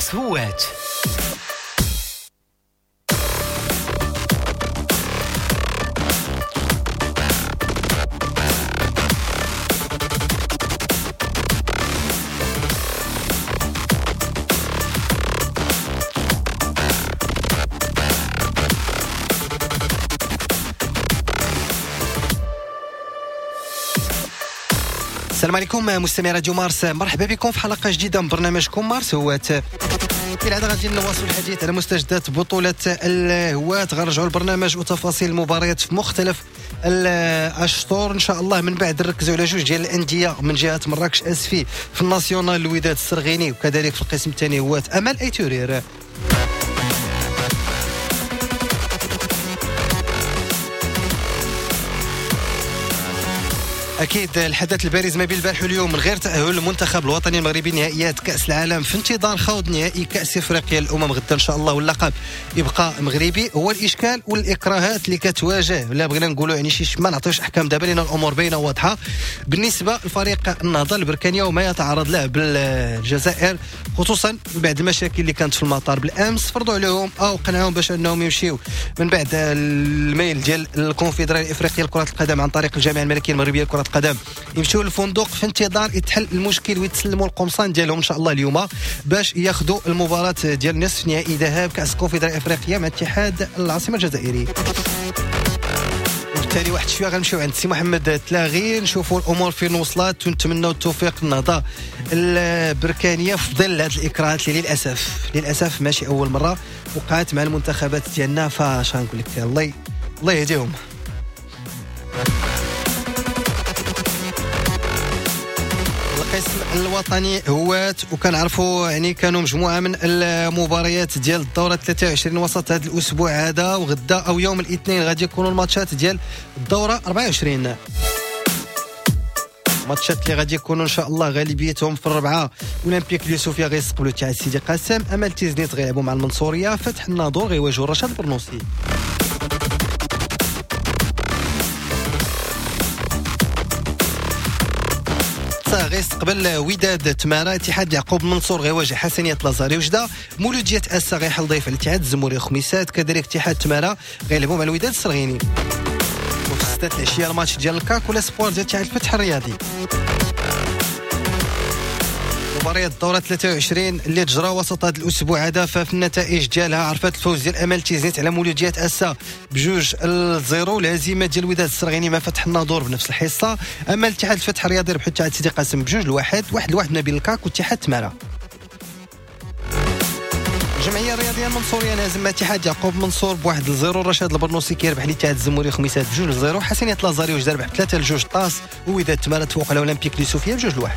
مارس هوات. السلام عليكم مستمعي راديو مارس، مرحبا بكم في حلقة جديدة من برنامجكم مارس هوات. كالعادة غادي نواصلوا الحديث على مستجدات بطولة الهوات، غنرجعوا البرنامج وتفاصيل المباريات في مختلف الأشطر إن شاء الله. من بعد نركزوا على جوج ديال الأندية من جهة مراكش أسفي في ال national الوداد السرغيني، وكذلك في القسم الثاني هوات أمل أيتورير. أكيد الحدث البارز ما بين البارح واليوم من غير تأهل المنتخب الوطني المغربي نهائيات كأس العالم في انتظار خوض نهائي كأس إفريقيا الأمم غدا إن شاء الله، واللقب يبقى مغربي. هو الإشكال والإكراهات اللي كتواجه، لا بغينا نقولوا يعني شي ما نعطيوش أحكام دابا لأن الأمور باينة واضحة بالنسبة لفريق النهضة البركانية وما يتعرض له بالجزائر، خصوصا بعد المشاكل اللي كانت في المطار بالأمس. فرضوا عليهم أو قنعوهم باش أنهم يمشيو من بعد الميل ديال الكونفدرالية الإفريقية لكرة القدم عن طريق الجامعة الملكية المغربية لكرة القدم، يمشيو للفندق في انتظار يتحل المشكل ويتسلموا القمصان ديالهم ان شاء الله اليوم باش ياخذوا المباراة ديال نصف نهائي ذهاب كأس الكونفدرالية الافريقية مع اتحاد العاصمة الجزائري. وبالتالي واحد شوية غنمشيو عند سي محمد تلاغي نشوفوا الامور فين وصلت، ونتمنوا التوفيق للنهضه البركانيه في ظل هذه الاكراهات اللي للاسف ماشي اول مرة وقعت مع المنتخبات ديالنا. فاش غنقول لك الله يهديهم. القسم الوطني هوات، وكنعرفوا يعني كانوا مجموعة من المباريات ديال الدورة 23 وسط هذا الاسبوع هذا، وغدا او يوم الاثنين غادي يكونوا الماتشات ديال الدورة 24، ماتشات اللي غادي يكونوا ان شاء الله غالبيتهم في الربعه. اولمبيك اليوسفيه غيستقبلوا تاع سيدي قاسم، امل تيزنيت غيلعبوا مع المنصوريه، فتح الناظور غيواجهوا رشاد برنوسي. غيستقبل وداد تمارا، اتحاد يعقوب منصور غيواجه حسنية لازاري وجدة، مولودية أسا غيحل ضيف على الاتحاد الزموري خميسات، كذلك اتحاد تمارا غيلعبوا مع الوداد السرغيني. وفي 6 العشية الماتش ديال الكاك ولا سبور ديال اتحاد الفتح الرياضي. مباريات الدورة 23 اللي تجرى وسط هذا الأسبوع هذا، ففي النتائج ديالها عرفت الفوز ديال أمل تيزنيت على مولودية أسا ب2-0، الهزيمة ديال الوداد السرغيني مع فتح الناظور بنفس الحصة. أما الاتحاد الفتح الرياضي ربحوا اتحاد سيدي قاسم ب2-1، 1-1 ما بين الكاك واتحاد تمارا. الجمعية الرياضية المنصورية نهزم اتحاد يعقوب منصور ب1-0، رشاد البرنوسي كيربح الاتحاد الزموري خميسات ب2-0، حسنية لازاري وجدة ربح 3-2 طاس، ووداد تمارا تفوق على أولمبيك اليوسفية ب2-1.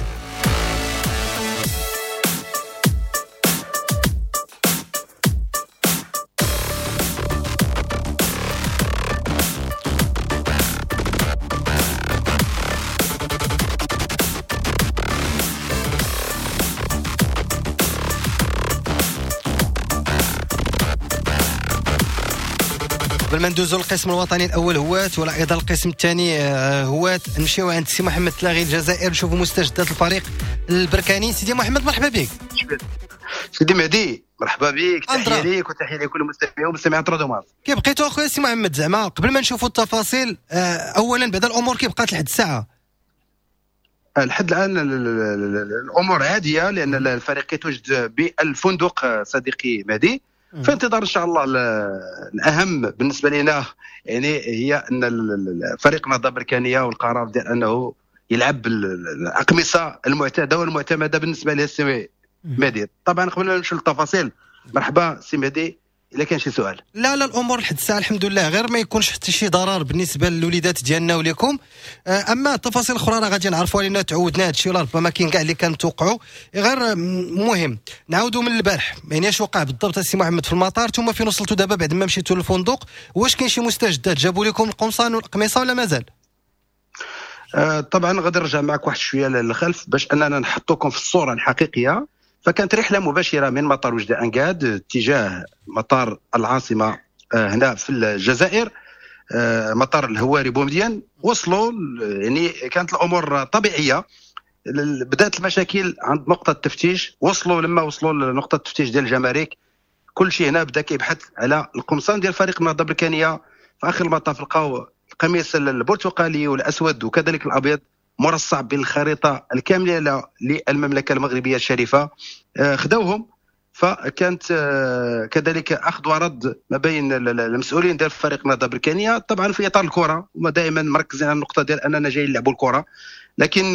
قبل ما ندوزو للقسم الوطني الاول هوات ولا ايضا القسم الثاني هوات، نمشيو عند سي محمد تلاغي الجزائر نشوفوا مستجدات الفريق البركاني. سيدي محمد مرحبا بك. سيدي مهدي مرحبا بك، تحية ليك وتحية لكل المستمعين ومستمعات راديو مارس. كي بقيتوا اخويا سي محمد؟ زعما قبل ما نشوفوا التفاصيل، اولا بعد الامور كي بقات لحد الساعة؟ لحد الان الامور عادية لان الفريق كيتواجد بالفندق صديقي مهدي، في انتظار ان شاء الله الاهم بالنسبة لنا يعني هي ان فريق النهضة البركانيه والقرار ديال انه يلعب الاقمصة المعتادة والمعتمده بالنسبة له السي مهدي. طبعا قبل ما نمشيو للتفاصيل مرحبا سي مهدي الا كان شي سؤال. لا الامور لحد الساعة الحمد لله، غير ما يكونش حتى شي ضرر بالنسبة للوليدات ديالنا وليكم. اما التفاصيل الاخرى راه غادي نعرفوها لان تعودنا هادشي ولا ربما كاين كاع اللي كنتوقعوا. غير مهم نعاودوا من البارح، يعني اش وقع بالضبط السي محمد في المطار، ثم فين وصلتوا دابا بعد ما مشيتوا للفندق؟ واش كاين شي مستجدات؟ جابوا لكم القمصان والقميصه ولا مازال؟ طبعا غادي نرجع معك واحد شوية للخلف باش اننا نحطوكم في الصورة الحقيقية. فكانت رحلة مباشرة من مطار وجدة أنقاد اتجاه مطار العاصمة هنا في الجزائر، مطار الهواري بومدين. وصلوا يعني كانت الأمور طبيعية. بدات المشاكل عند نقطة التفتيش. وصلوا لما وصلوا لنقطة التفتيش ديال الجمارك، كل شيء هنا بدا كيبحث على القمصان ديال فريق النهضة البركانيه. في اخر المطاف لقاو القميص البرتقالي والاسود وكذلك الابيض مرصع بالخريطة الكاملة للمملكة المغربية الشريفة، خداوهم. فكانت كذلك اخذ ورد ما بين المسؤولين ديال فريق النهضة البركانيه، طبعا في اطار الكره، هما دائما مركزين على النقطة ديال اننا جايين نلعبوا الكره، لكن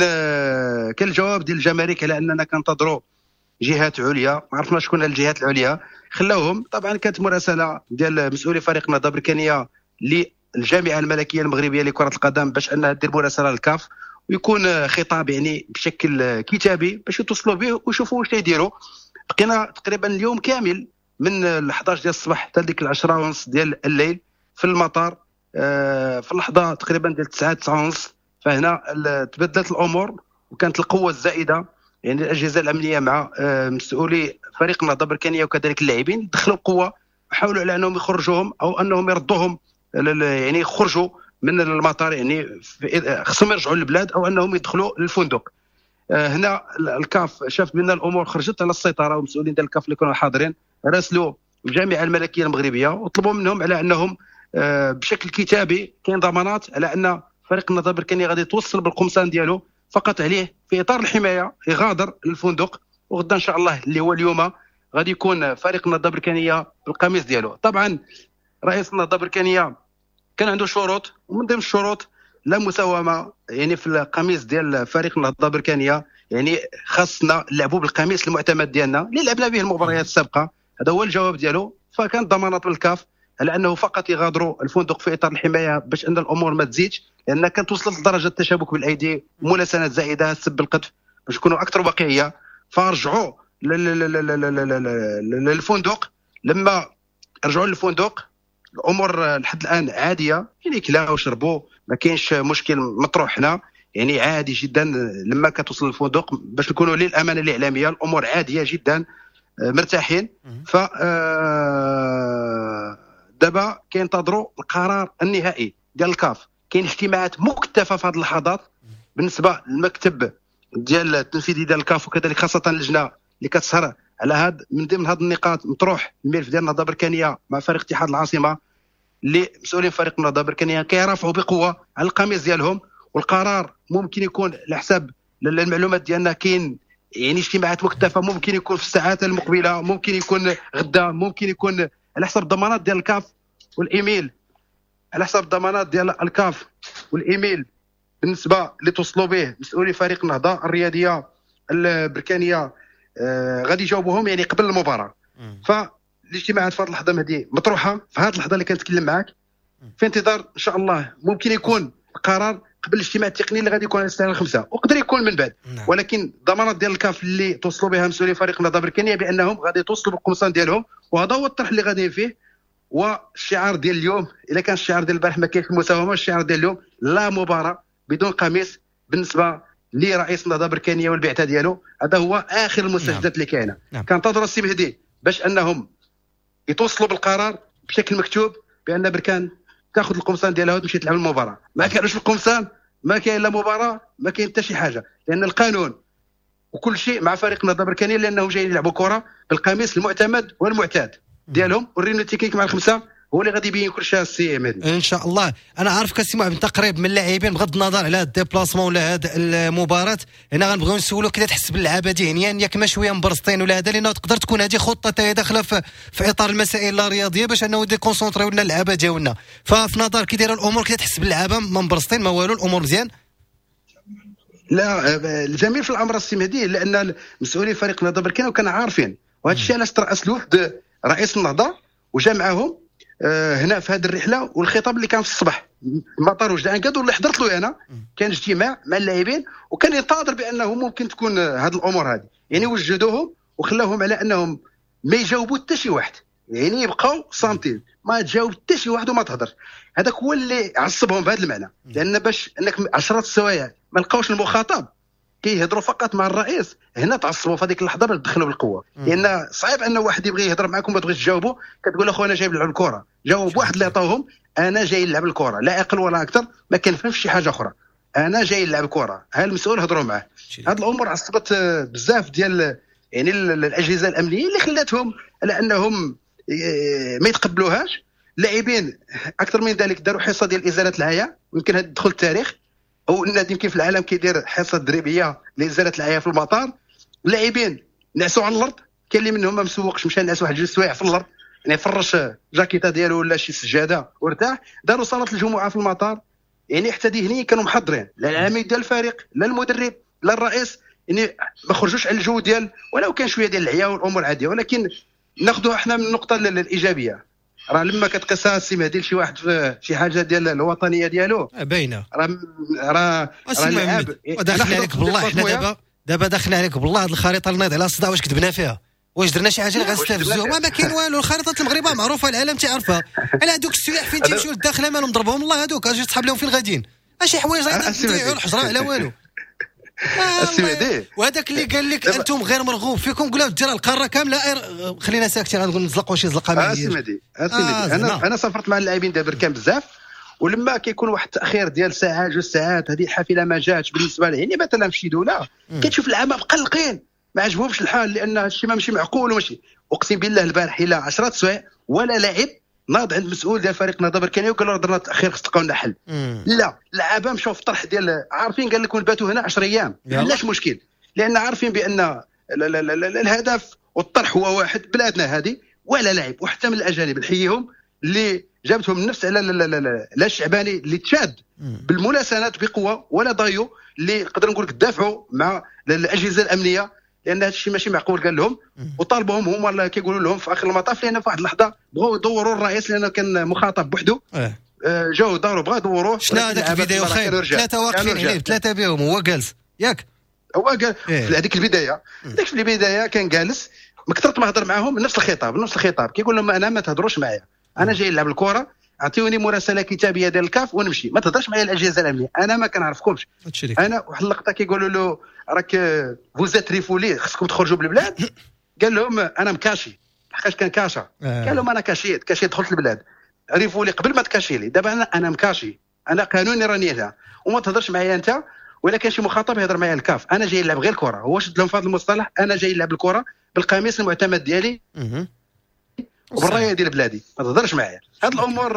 كان الجواب ديال الجمارك على اننا كنتظروا جهات عليا، ما عرفنا شكون الجهات العليا، خلاوهم. طبعا كانت مراسله ديال مسؤولي فريق النهضة البركانيه للجامعة الملكية المغربية لكرة القدم باش انها دير مراسله للكاف ويكون خطاب يعني بشكل كتابي باش يتصلوا به ويشوفوا واش يديروا. بقينا تقريبا اليوم كامل من 11 ديال الصباح حتى ديك 10:30 ديال الليل في المطار، في اللحظة تقريبا ديال 9 9:30 فهنا تبدلت الامور وكانت القوة الزائدة، يعني الاجهزة الامنية مع مسؤولي فريق النهضة البركانيه وكذلك اللاعبين دخلوا بقوة، حاولوا على انهم يخرجوهم او انهم يردوهم، يعني يخرجوا من المطار، يعني خصهم يرجعوا للبلاد او انهم يدخلوا للفندق. هنا الكاف شاف بان الامور خرجت على السيطرة، ومسؤولين ديال الكاف اللي كانوا حاضرين راسلوا الجامعة الملكية المغربية وطلبوا منهم على انهم بشكل كتابي كاين ضمانات على ان فريق النهضة البركانيه غادي يتوصل بالقمصان ديالو، فقط عليه في اطار الحماية يغادر الفندق، وغدا ان شاء الله اللي هو اليوم غادي يكون فريق النهضة البركانيه بالقميص ديالو. طبعا رئيس النهضة البركانيه كان عنده شروط، ومن ضمن الشروط لا مساومة يعني في القميص ديال فريق النهضة البركانيه، يعني خاصنا نلعبوا بالقميص المعتمد ديالنا اللي لعبنا به المباريات السابقة، هذا هو الجواب ديالو. فكانت ضمانات من الكاف على انه فقط يغادروا الفندق في اطار الحماية باش ان الامور ما تزيدش، لان كانت وصلت لدرجة التشابك بالايدي، ملاسنات زائدة، السب بالقذف، باش نكونوا اكثر واقعية. فرجعوا للفندق. لما رجعوا للفندق الامور لحد الان عادية، يعني كلاو وشربوا، ما كاينش مشكل مطروح هنا، يعني عادي جدا. لما كتوصل للفندق باش نكونوا للامانة الاعلامية الامور عادية جدا، مرتاحين. ف دابا كينتظروا القرار النهائي ديال الكاف. كاين اجتماعات مكثفة في هذه اللحظات بالنسبة للمكتب ديال التنفيذي ديال الكاف، وكذلك خاصة اللجنة اللي كتسهر على هاد. من ضمن هاد النقاط مطروح الملف ديال النهضة البركانيه مع فريق اتحاد العاصمة، اللي مسؤولين فريق النهضة البركانيه كيرافعوا بقوة على القميص ديالهم، والقرار ممكن يكون على حساب المعلومات ديالنا كاين يعني اجتماعات مكثفة، ممكن يكون في الساعات المقبلة، ممكن يكون غدا، ممكن يكون على حسب الضمانات ديال الكاف والايميل، على حسب الضمانات ديال الكاف والايميل بالنسبة اللي توصلوا به مسؤولي فريق النهضة الرياضية البركانيه غادي يجاوبوهم يعني قبل المباراة. فالاجتماعات في هذه اللحظة مهدي مطروحة، في هذه اللحظة اللي كنتكلم معاك، في انتظار ان شاء الله ممكن يكون القرار قبل الاجتماع التقني اللي غادي يكون على الساعة 5، وقدر يكون من بعد. ولكن الضمانات ديال الكاف اللي توصلوا بها مسؤولي فريق النهضة البركانيه بانهم غادي يتوصلوا بالقمصان ديالهم، وهذا هو الطرح اللي غاديين فيه. والشعار ديال اليوم، الا كان الشعار ديال البارح ما كاينش المساومة، الشعار ديال اليوم لا مباراة بدون قميص بالنسبة لرئيس النهضة البركانيه والبعثه ديالو. هذا هو اخر المستجدات اللي كاينه. كنتظروا السي مهدي باش انهم يتوصلوا بالقرار بشكل مكتوب بان بركان تاخذ القمصان ديالها وتمشي تلعب المباراة. ما كانوش القمصان ما كاين لا مباراة، ما كاين حتى شي حاجة، لان القانون وكل شيء مع فريق النهضة البركانيه، لانهم جايين يلعبوا كره بالقميص المعتمد والمعتاد ديالهم. وال réunion technique مع الخمسة هو اللي غادي يبين كل شيء السي مهدي ان شاء الله. انا عارفك السي محمد انت قريب من اللاعبين، بغض النظر على هذا ال déplacement ولا هذه المباراة، هنا غنبغيو نسولو كي تحس باللعابه ذهنيا، ياك ما شوية مبرزطين ولا هذا، لانه تقدر تكون هذه خطه حتى هي داخله في اطار المسائل الرياضية باش انه déconcentrer لنا اللعابه ديالنا. ففي نظر كي دايرة الامور، كي تحس باللعابه ما مبرزطين ما والو، الامور مزيان؟ لا، الجميل في الامر السي مهدي لان مسؤولي فريق النهضة البركانيه كانوا عارفين، وهذا الشيء علاش ترأس الوفد رئيس النهضة وجا معاهم هنا في هذه الرحلة. والخطاب اللي كان في الصباح مطار وجده انكاد واللي حضرت له انا، كان اجتماع مع اللاعبين وكان ينتظر بانه ممكن تكون هذه الامور هذه، يعني وجدوهم وخلاهم على انهم ما يجاوبوا حتى شي واحد، يعني يبقاو صامتين، ما تجاوب حتى شي واحد وما تهضرش. هذاك هو اللي عصبهم بهذا المعنى، لان باش انك 10 السوايع ما لقاوش المخاطب كيهضروا فقط مع الرئيس، هنا تعصبوا في هذيك اللحظة باش دخلوا بالقوة. لان صعيب ان واحد يبغي يهضر معكم ما تبغيش تجاوبوا، كتقول اخو انا جاي نلعب الكره، جاوب واحد اللي عطاوهم انا جاي نلعب الكره، لا اقل ولا اكثر، ما كنفهمش شي حاجة اخرى. انا جاي نلعب كره، ها المسؤول هضروا معاه. هذه الامور عصبت بزاف ديال يعني الاجهزة الامنية اللي خلاتهم على انهم ما يتقبلوهاش. اللاعبين اكثر من ذلك داروا حصة ديال ازالة العيا، ويمكن هذا دخل التاريخ، او النادي يمكن في العالم كيدير حصة تدريبية لازالة العيا في المطار. اللاعبين نعسوا على الارض، كاين اللي منهم ما مسوقش مشى نعس واحد جوج سوايع في الارض، يعني فرش جاكيطه ديالو ولا شي سجادة وارتاح. داروا صلاة الجمعة في المطار، يعني حتى ذهنيا كانوا محضرين، لا العميد ديال الفريق لا المدرب لا الرئيس، يعني ما خرجوش على الجو ديال، ولو كان شوية ديال العيا والامور عادية. ولكن ناخذوها احنا من النقطة الايجابية، راه لما كتقيسها السي مهدي لشي واحد في شي حاجة ديال الوطنية ديالو باينة، راه راه اللاعب داخل عليك بالله. حنا دابا داخل عليك بالله هذه الخريطة اللي نايض على الصداع، واش كتبنا فيها؟ واش درنا شي حاجة اللي غنستفزوهم؟ ما كاين والو. الخريطة المغرب معروفة، العالم تيعرفها. على هذوك السياح فين تيمشيو للداخله مالهم ضربهم الله، هذوك اجي تصحاب لهم فين غاديين، شي حوايج غيضيعوا الحجرة على والو. وهذاك اللي قال لك انتم غير مرغوب فيكم، قول له دير القارة كاملة، خلينا ساكتين، غنقول نزلقوا شي زلقه. السي مهدي انا سافرت مع اللاعبين ديال بركان بزاف، ولما كيكون واحد التاخير ديال ساعة جوج ساعات، هذه الحافلة ما جاتش بالنسبة لي، يعني مثلا في شي دولة كتشوف العامة مقلقين، ما عجبهمش الحال، لان هادشي ماشي معقول وماشي. اقسم بالله البارح الى 10 سوايع ولا لاعب ناض عند مسؤول ديال فريق النهضة البركانيه وقال له درنا التاخير خص تلقاو لنا حل. لا، اللعابه مشاو في الطرح ديال عارفين، قال لك نباتوا هنا 10 ايام، علاش مشكل؟ لان عارفين بان الهدف والطرح هو واحد، بلادنا هذه ولا لاعب. وحتى من الاجانب نحييهم اللي جابتهم النفس على لا الشعباني اللي تشاد بالملاسنات بقوة، ولا ضايو اللي نقدر نقول لك دافعوا مع الاجهزة الامنية، لان هذا الشيء ماشي معقول قال لهم. وطالبوهم هما كيقولوا لهم في اخر المطاف، لان في واحد اللحظة بغاو يدوروا الرئيس لانه كان مخاطب بوحده، جاو داروا بغاو يدوروه. شنو هذاك الفيديو خير؟ ثلاثة واقفين عليه، ثلاثة بهم هو جالس، ياك هو قال في هذيك البداية، ديك في البداية كان جالس، من كثرت ما هضر معاهم نفس الخطاب، نفس الخطاب كيقول لهم انا ما تهضروش معايا، انا جاي نلعب الكره، اعطيوني مراسله كتابيه ديال الكاف ونمشي، ما تهضرش معايا الاجهزة الامنية، انا ما كنعرفكمش. انا واحد اللقطة كيقولوا له راك vous êtes refoulés، خصكم تخرجوا بالبلاد، قال لهم انا مكاشي، لحقاش كان كاشا، قال لهم انا كاشيت كاشي دخلت البلاد، refoulé قبل ما تكاشي لي، دابا انا مكاشي، انا قانوني راني هنا، وما تهضرش معايا انت، ولا كان شي مخاطب يهضر معايا الكاف، انا جاي نلعب غير الكره. هو شد لهم في هذا المصطلح، انا جاي نلعب الكره بالقميص المعتمد ديالي وبالرايه ديال بلادي، ما تهضرش معايا. هاد الامور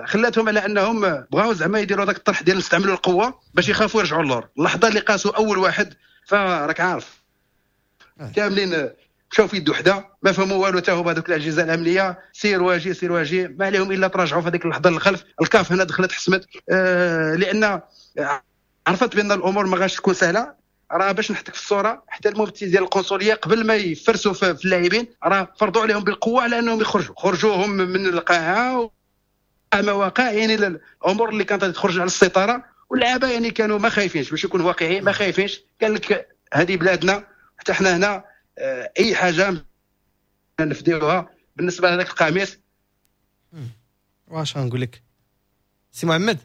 خلاتهم على انهم بغاو زعما يديروا هذاك الطرح ديال نستعملوا القوة باش يخافوا يرجعوا للور. اللحظة اللي قاسوا اول واحد، فراك عارف كاملين مشاو في يد وحده، ما فهموا والو حتى هما هذوك الاجهزة الامنية، سير واجي سير واجي، ما عليهم الا تراجعوا في هذيك اللحظة للخلف. الكاف هنا دخلت حسمت، لان عرفت بان الامور ما غاش تكون سهلة. راه باش نحطك في الصورة، حتى الممثل ديال القنصليه قبل ما يفرسوا في اللاعبين راه فرضوا عليهم بالقوة على انهم يخرجوا، خرجوهم من القاعة مواقع، يعني الامور اللي كانت تخرج على السيطرة. واللعابه يعني كانوا ما خايفينش، باش يكونوا واقعيين ما خايفينش، قال لك هذه بلادنا، حتى حنا هنا اي حاجة نفديوها. بالنسبة لهذاك القميص واش غنقول لك سي محمد،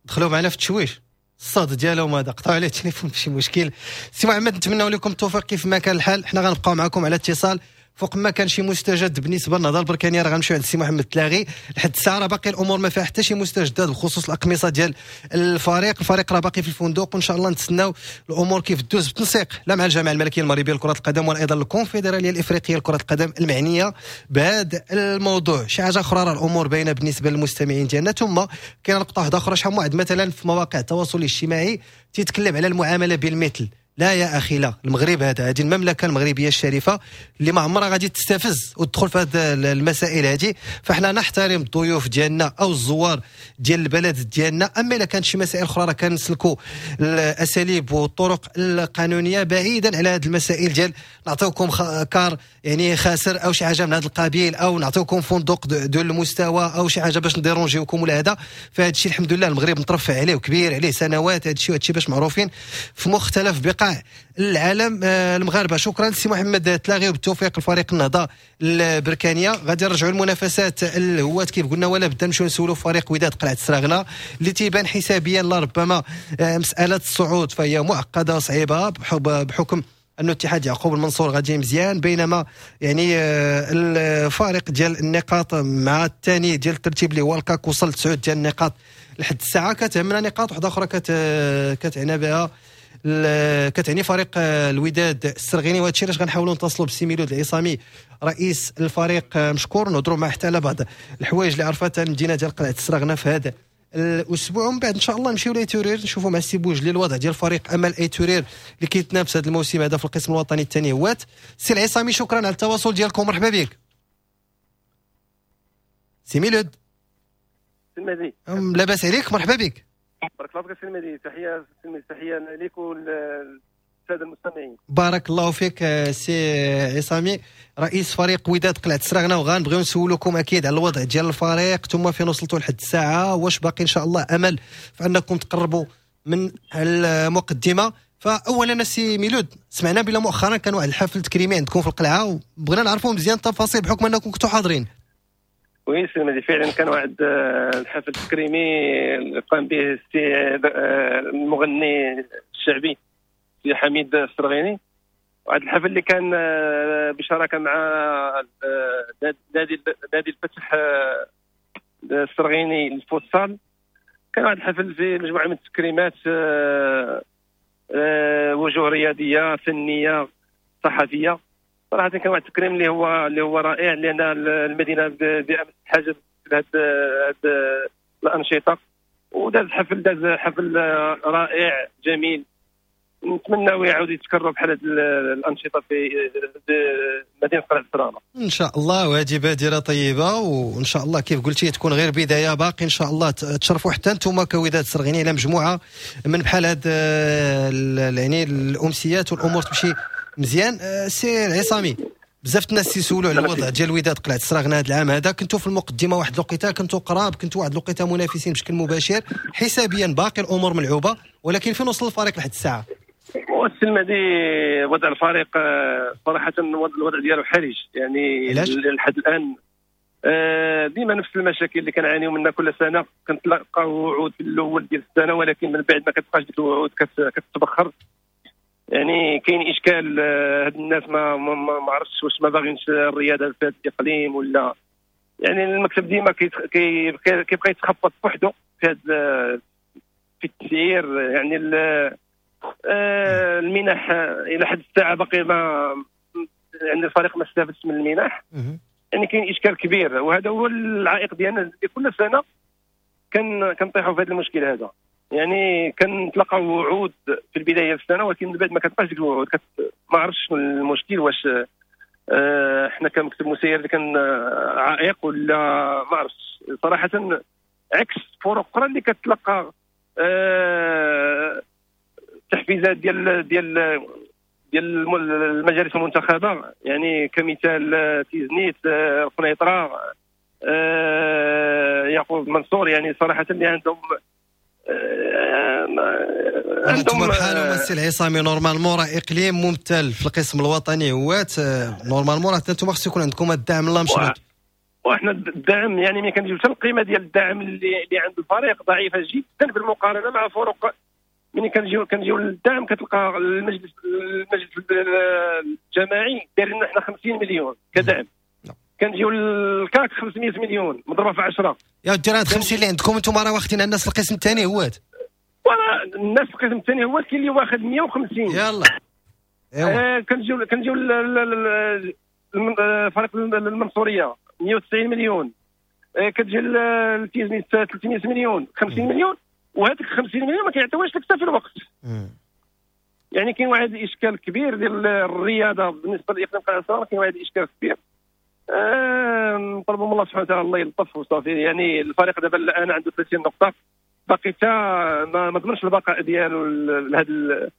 دخلوا معنا في التشويش الصاد ديالهم هذا، قطعوا عليه التليفون ماشي مشكل. سي محمد نتمنوا لكم التوفيق كيف ما كان الحال، حنا غنبقاو معكم على اتصال فوق ما كان شي مستجد بالنسبة للنهضه البركانيه راه غنمشيو عند السي محمد تلاغي. لحد الساعة راه باقي الامور ما فيها حتى شي مستجدات بخصوص الاقمصة ديال الفريق، الفريق راه باقي في الفندق، وان شاء الله نتسناو الامور كيف دوز بالتنسيق لا مع الجامعة الملكية المغربية لكرة القدم ولا ايضا الكونفدراليه الافريقية لكرة القدم المعنية بهذا الموضوع. شي حاجة اخرى راه الامور باينة بالنسبة للمستمعين ديالنا. ثم كاين نقطة واحدة اخرى، شحال واحد مثلا في مواقع التواصل الاجتماعي تيتكلم على المعاملة بالمثل. لا يا أخي لا، المغرب هذا، هذه المملكة المغربية الشريفة اللي ما عمرها غادي تستفز وتدخل في هذه المسائل هذه، فاحنا نحترم الضيوف ديالنا أو الزوار ديال البلد ديالنا. أما إلا كانت شي مسائل أخرى راه كنسلكوا الأساليب والطرق القانونية بعيدا على هذه المسائل ديال نعطيوكم car يعني خاسر أو شي حاجة من هذا القبيل، أو نعطيوكم فندق دون المستوى أو شي حاجة باش نديرونجيوكم ولا هذا. فهذا الشيء الحمد لله المغرب مترفع عليه وكبير عليه سنوات هذا الشيء، وهذا الشيء باش معروفين في مختلف بقاع العالم المغاربة. شكرا سي محمد تلاغي وبالتوفيق لفريق النهضة البركانيه. غادي نرجعوا للمنافسات الهوات كيف قلنا، ولا بدا نمشيو نسولوا فريق وداد قلعه السراغنه اللي تيبان حسابيا لربما مسالة الصعود فهي معقدة وصعيبه بحكم انه اتحاد يعقوب المنصور غادي مزيان، بينما يعني الفارق ديال النقاط مع الثاني ديال الترتيب اللي هو الكاك وصل 9 ديال النقاط لحد الساعة. كتهمنا نقاط واحدة اخرى كتعنى بها كتعني فريق الوداد السرغيني، وهذا الشيء علاش غنحاولوا نتصلوا بالسي ميلود العصامي رئيس الفريق مشكور، نهضروا معاه حتى على بعض الحوايج اللي عرفتها المدينة ديال قلعه السراغنه في هذا الاسبوع. ومن بعد ان شاء الله نمشيو لايت اورير نشوفوا مع السي بوجلي الوضع ديال فريق امل ايت اورير اللي كيتنافس هذا الموسم هذا في القسم الوطني الثاني هوات. سي العصامي شكرا على التواصل ديالكم، مرحبا بك سي ميلود. سي لاباس عليك، مرحبا بك. بارك الله فيك سي المهدي، تحية تحية لك وللساده المستمعين. بارك الله فيك سي عصامي رئيس فريق وداد قلعه السراغنه، وغنبغيو نسولوكم اكيد على الوضع ديال الفريق ثم فين وصلتوا لحد الساعة، واش باقي ان شاء الله امل في انكم تقربوا من المقدمة. فاولا سي ميلود، سمعنا بلا مؤخرا كان واحد الحفل تكريمي عندكم في القلعة، وبغينا نعرفوا مزيان التفاصيل بحكم انكم كنتوا حاضرين. oui سي المهدي، فعلا كان واحد الحفل تكريمي قام به السي المغني الشعبي سي حميد السرغيني، واحد الحفل اللي كان بشراكه مع نادي الفتح السرغيني للفوتسال. كان واحد الحفل فيه مجموعة من التكريمات، وجوه رياضية فنية صحفية. صراحة كان واحد التكريم اللي هو رائع، لان المدينة بامس حاجة لهاد الانشطة، وداز حفل حفل رائع جميل. نتمنى يعاود يتكرر بحال هاد الانشطة في مدينة قلعه السراغنه ان شاء الله. وهذه بادره طيبة، وان شاء الله كيف قلتي تكون غير بداية، باقي ان شاء الله تشرفوا حتى انتم كوداد السرغيني على مجموعة من بحال هاد يعني الامسيات والامور تمشي مزيان. سي العصامي، بزاف الناس تيسولوا على الوضع ديال الوداد قلعه السراغنه هذا العام هذا. كنتوا في المقدمة واحد الوقيته، كنتوا قراب، كنتوا واحد الوقيته منافسين بشكل مباشر، حسابيا باقي الامور ملعوبه، ولكن فين وصل الفريق لحد الساعة؟ والسي المهدي، وضع الفريق صراحة الوضع ديالو حرج، يعني لحد الان ديما نفس المشاكل اللي كنعانيو منها كل سنة. كنتلقاو وعود في الاول ديال السنة، ولكن من بعد ما كتبقاش ديك الوعود كتتبخر. يعني كاين اشكال، هاد الناس ما عرفتش واش ما باغينش الرياضة في هذا الاقليم ولا، يعني المكتب ديما كيبقى يتخبط بوحدو في هاد في التسيير. يعني المنح الى حد الساعة باقي ما، يعني الفريق ما استفادش من المنح. يعني كاين اشكال كبير، وهذا هو العائق ديالنا كل سنة كنطيحوا في هذا المشكل هذا. يعني كنتلقاو وعود في البداية السنة، ولكن من بعد ما كتبقاش ديك الوعود. ما عرفتش شنو المشكل، واش حنا كمكتب مسير اللي كان عائق ولا ما عرفتش صراحة. عكس فرق اخرى اللي كتلقى تحفيزات ديال ديال ديال المجالس المنتخبه، يعني كمثال تيزنيت، القنيطره، يعقوب منصور. يعني صراحة اللي عندهم انتم بحالهم السي العصامي، normalement راه اقليم ممثل في القسم الوطني هوات، normalement راه انتم خص يكون عندكم الدعم لا مشروط. وحنا الدعم يعني ملي كنجيو حتى القيمة ديال الدعم اللي عند الفريق ضعيفة جدا بالمقارنة مع فرق. ملي كنجيو للدعم كتلقى المجلس الجماعي داير لنا حنا 50 مليون كدعم، كنجيو للكاك 500 مليون مضروبة في 10. يا ودي راه 50 اللي عندكم انتم راه واخدين الناس في القسم الثاني هوات، ولا الناس في القسم الثاني هوات كاين اللي واخد 150. يلا ايوا كنجيو فريق المنصوريه 190 مليون، كتجي التيزنيت 300 مليون، 50 مليون، وهذيك 50 مليون ما كيعطيوهاش لك حتى في الوقت. يعني كاين واحد الاشكال كبير ديال الرياضة بالنسبة لاقليم قلعه السراغنه، كاين واحد الاشكال كبير. نطلبوا من الله سبحانه وتعالى الله يلطف وصافي. يعني الفريق دابا الان عنده 30 نقطة، باقي حتى ما ضمنش البقاء ديالو لهذا،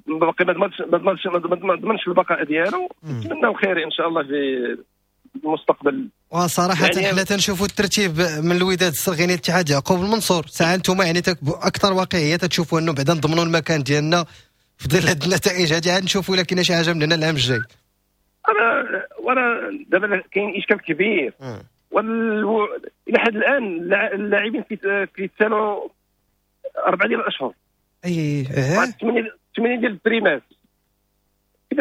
باقي ما ضمنش البقاء ديالو. نتمناو خير ان شاء الله في المستقبل. وصراحة يعني حنا تنشوفوا الترتيب من الوداد السرغيني الاتحاد يعقوب المنصور، ساعة انتم يعني اكثر واقعية تشوفوا انه بعدا نضمنوا المكان ديالنا في ظل هذه النتائج هذه، عاد نشوفوا الا كاينه شي حاجة من هنا العام الجاي. وانا دابا كاين اشكال كبير، الى حد الان اللاعبين كيتسالوا 4 ديال الاشهر، اي 8 ديال البريمات.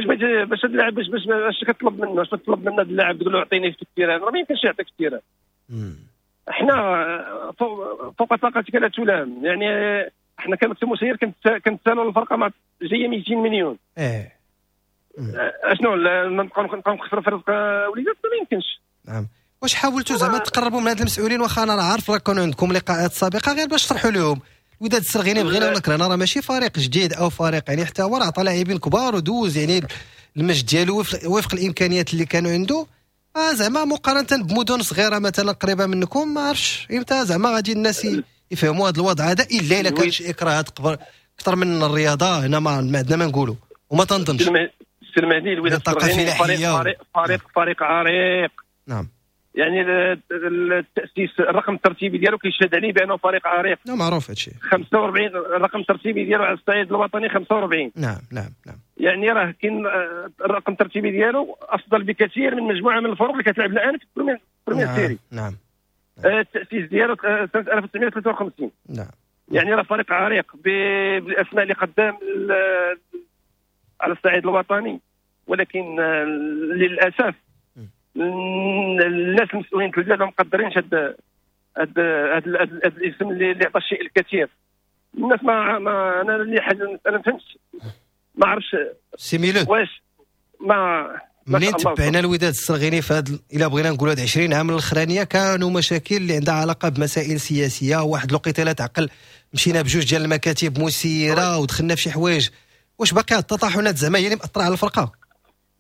كيفاش باش هذا اللاعب باش كتطلب منه، باش تطلب من هذا اللاعب تقول له اعطيني في ال terrain، راه ما يمكنش يعطيك في ال terrain. احنا فوق طاقتك لا تلام، يعني احنا كمكتب مسير كنتسالوا الفرقة مع جاية 200 مليون. اشنو نبقاو نخسروا في رزق وليداتنا؟ ما يمكنش. نعم. واش حاولتوا زعما تقربوا من هاد المسؤولين؟ واخا انا راه عارف راه كانوا عندكم لقاءات سابقه، غير باش تشرحوا لهم الوداد السرغيني بغينا ولا كرهنا راه ماشي فريق جديد او فريق، يعني حتى هو راه عطى لاعبين كبار ودوز يعني المجد ديالو وفق الامكانيات اللي كانوا عنده. زعما مقارنة بمدن صغيرة مثلا قريبه منكم، ما عرفتش امتى زعما غادي الناس يفهموا هذا الوضع هذا، الا كان شي اكراهات اكثر من الرياضة هنا ما عندنا ما نقولوا وما تنظنش. سي المهدي الوداد السرغيني فريق عريق. نعم. يعني التاسيس الرقم الترتيبي ديالو كيشهد عليه بانه فريق عريق. نعم معروف هادشي. 45 الرقم الترتيبي ديالو على الصعيد الوطني 45. نعم نعم نعم. يعني راه كاين الرقم الترتيبي ديالو افضل بكثير من مجموعة من الفرق اللي كتلعب الان في première série. نعم. التاسيس ديالو سنة 1953. نعم. يعني راه فريق عريق بالاسماء اللي قدام على الصعيد الوطني، ولكن للاسف الناس المسؤولين في البلاد ما مقدرينش هذا الاسم اللي عطى الشيء الكثير. الناس ما انا اللي حاجة انا ما فهمتش، ما عرفتش سي ميلود واش ما منين تبعنا الوداد السرغيني في هاد، الا بغينا نقولوا هاد 20 عام الاخرانية كانوا مشاكل اللي عندها علاقة بمسائل سياسية. واحد الوقيته لا تعقل مشينا بجوج ديال المكاتب مسيره ودخلنا في شي حوايج. واش باقي التطاحنات زعما هي اللي مأثره على الفرقة؟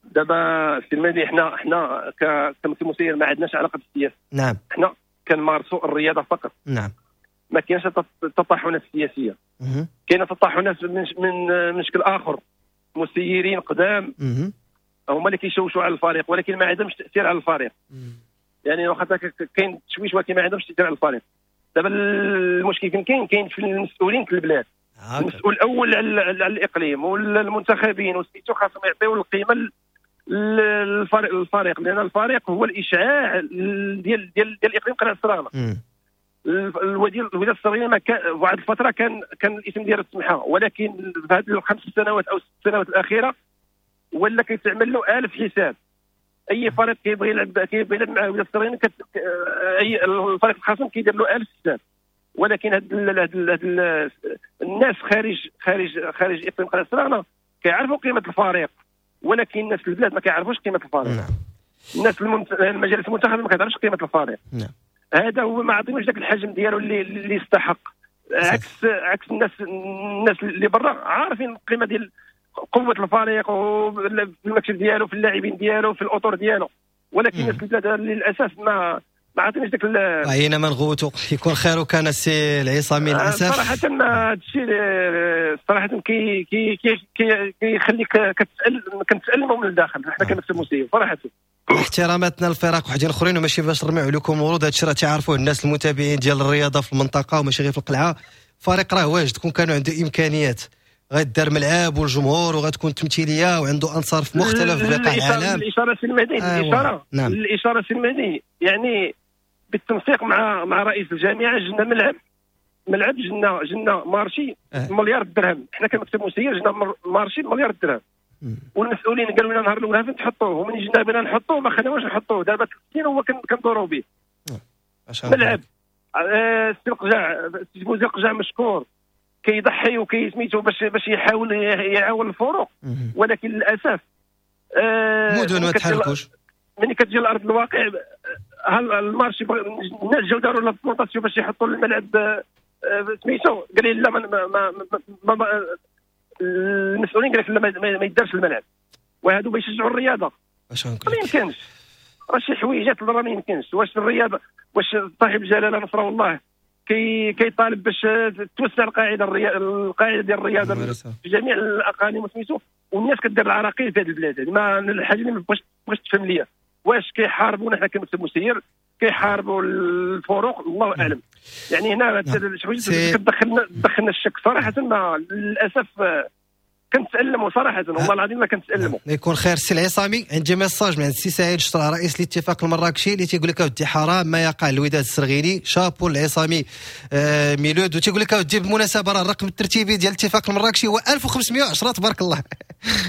دابا سي المهدي حنا كمكتب مسير ما عندناش علاقة بالسياسة. نعم. حنا كنمارسوا الرياضة فقط. نعم. ما كاينش التطاحنات السياسية. كاينه تطاحنات من شكل اخر، مسيرين قدام هما اللي كيشوشوا على الفريق، ولكن ما عندهمش تاثير على الفريق. يعني واخا كاين تشويش ولكن ما عندهمش تاثير على الفريق. دابا المشكل كاين في المسؤولين في البلاد. المسؤول الاول على الاقليم والمنتخبين وسميتو خاصهم يعطيو القيمة للفريق، لان الفريق هو الاشعاع ديال ديال ديال الاقليم قلعه السراغنه. الوداد السرغيني ما كان واحد الفترة كان الاسم ديالو تسمحه، ولكن في هذه الخمس سنوات او 6 سنوات الاخيرة ولا كيتعمل له 1000 حساب. اي فريق كيبغي يلعب مع الوداد السرغيني اي الفريق الخصم كيدير له 1000 حساب. ولكن هاد الناس خارج خارج خارج اقليم قلعه السراغنه كيعرفوا قيمة الفريق، ولكن الناس في البلاد ما كيعرفوش قيمة الفريق. نعم. الناس المجالس المنتخبه ما كتعرفش قيمة الفريق. نعم. هذا هو ما عطينوش ذاك الحجم ديالو اللي يستحق. عكس الناس اللي برا عارفين القيمة ديال قوة الفريق وفي المكتب ديالو، في اللاعبين ديالو، في الاطر ديالو، ولكن الناس في البلاد للاسف ما عطيناش داك عينا ما نغوتو. يكون خير وكان السي العصامي للاسف. صراحة هذا الشيء صراحة كي كي كي كيخليك كنتالموا من الداخل حنا كمكتب مسير صراحة. احتراماتنا للفرق وحدين اخرين، وماشي باش نرميو عليكم ورود، هادشي راه تعرفوه الناس المتابعين ديال الرياضة في المنطقة وماشي غير في القلعة. فريق راه واجد، كون كانوا عنده امكانيات غيدار ملعب والجمهور وغتكون تمثيلية وعنده انصار في مختلف بقاع العالم. الاشارة سي المهدي، الاشارة نعم. الاشارة سي المهدي يعني بالتنسيق مع رئيس الجامعة جبنا ملعب جبنا marché مليار درهم. حنا كمكتب مسير جبنا marché مليار درهم، والمسؤولين قالوا لنا نهار الاول فين تحطوه، ومن جينا بغينا نحطوه ما خليناش نحطوه. دابا 3 سنين هو كندوروا به ملعب. السي القجع، السي فوزي القجع مشكور كيضحي وكيسميتو باش يحاول يعاون الفروق، ولكن للاسف مدن ما تحركوش. ملي كتجي لارض الواقع ال marché الناس جاو داروا la plantation باش يحطوا الملعب سميتو، قال لي لا ما, ما, ما المسؤولين قال لك لا ما يدارش الملعب، وهادو باش يشجعوا الرياضة. ما يمكنش، راه شي حويجات راه ما يمكنش. واش الرياضة، واش صاحب الجلاله نصره الله كيطالب باش توسع القاعدة القاعدة ديال الرياضة في جميع الاقاليم وسميتو، والناس كدير العراقيل في هذه البلاد. يعني ما الحاجة اللي ما بغيتش تفهم ليا، واش كيحاربونا حنا كمكتب مسير، كيحاربوا الفروق، الله اعلم. يعني هنا شي حوايج كتدخلنا الشك صراحة، ما للاسف كنتألموا صراحة، والله العظيم ما كنتألموا. يكون خير السي العصامي. عندي message من عند السي سعيد شطرة رئيس الاتفاق المراكشي اللي تيقول لك اودي حرام ما يقع الوداد السرغيني، شابو العصامي ميلود. وتيقول لك اودي بالمناسبة راه الرقم الترتيبي ديال الاتفاق المراكشي هو 1510 تبارك الله.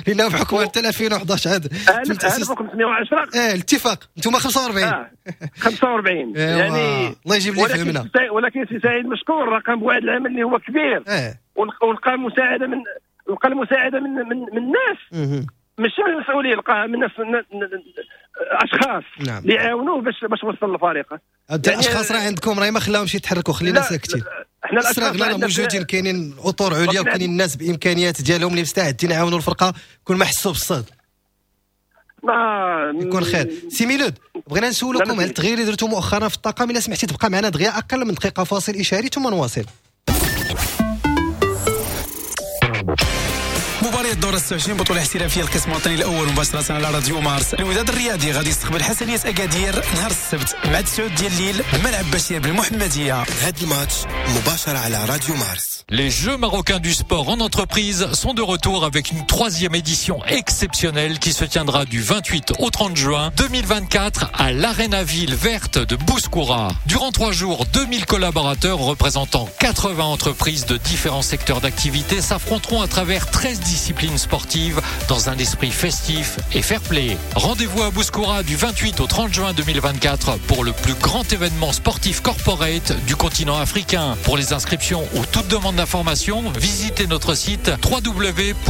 لانه بحكم حتى 2011 عاد 1510. الاتفاق انتم 45. 45 يعني الله يجيب لي فهمنا. ولكن سي سعيد مشكور راه قام بواحد العمل اللي هو كبير، ولقى المساعدة من لقى المساعدة من من الناس، ماشي من المسؤولين، لقاها من ناس اشخاص اللي عاونوه باش وصل الفريق. يعني الاشخاص راه عندكم راه ما خلاهمش يتحركوا، خلينا ساكتين. حنا الاشخاص راه موجودين، كاينين اطر عليا وكاينين الناس بامكانيات ديالهم اللي مستعدين يعاونوا الفرقة كل ما حسوا بالصهد. ما يكون خير. سي ميلود، بغينا نسولكم على التغيير اللي درتو مؤخرا في الطاقم، الا سمحتي تبقى معنا دغيا اقل من دقيقة، فاصل اشاري ثم نواصل. مباراة الدور 26 بطولة احترافية القسم الوطني الأول مباشرة على راديو مارس. الوداد الرياضي غادي يستقبل حسنية أكادير نهار السبت مع 9 ديال الليل بملعب بشير بالمحمدية. هذا الماتش مباشرة على راديو مارس. Les Jeux marocains du sport en entreprise sont de retour avec une 3e édition exceptionnelle qui se tiendra du 28 au 30 juin 2024 à l'Arena Ville Verte de Bouskoura. Durant 3 jours, 2000 collaborateurs représentant 80 entreprises de différents secteurs d'activité s'affronteront à travers 13 disciplines sportives dans un esprit festif et fair-play. Rendez-vous à Bouskoura du 28 au 30 juin 2024 pour le plus grand événement sportif corporate du continent africain. Pour les inscriptions ou toute demande d'informations, visitez notre site www.jmse.ma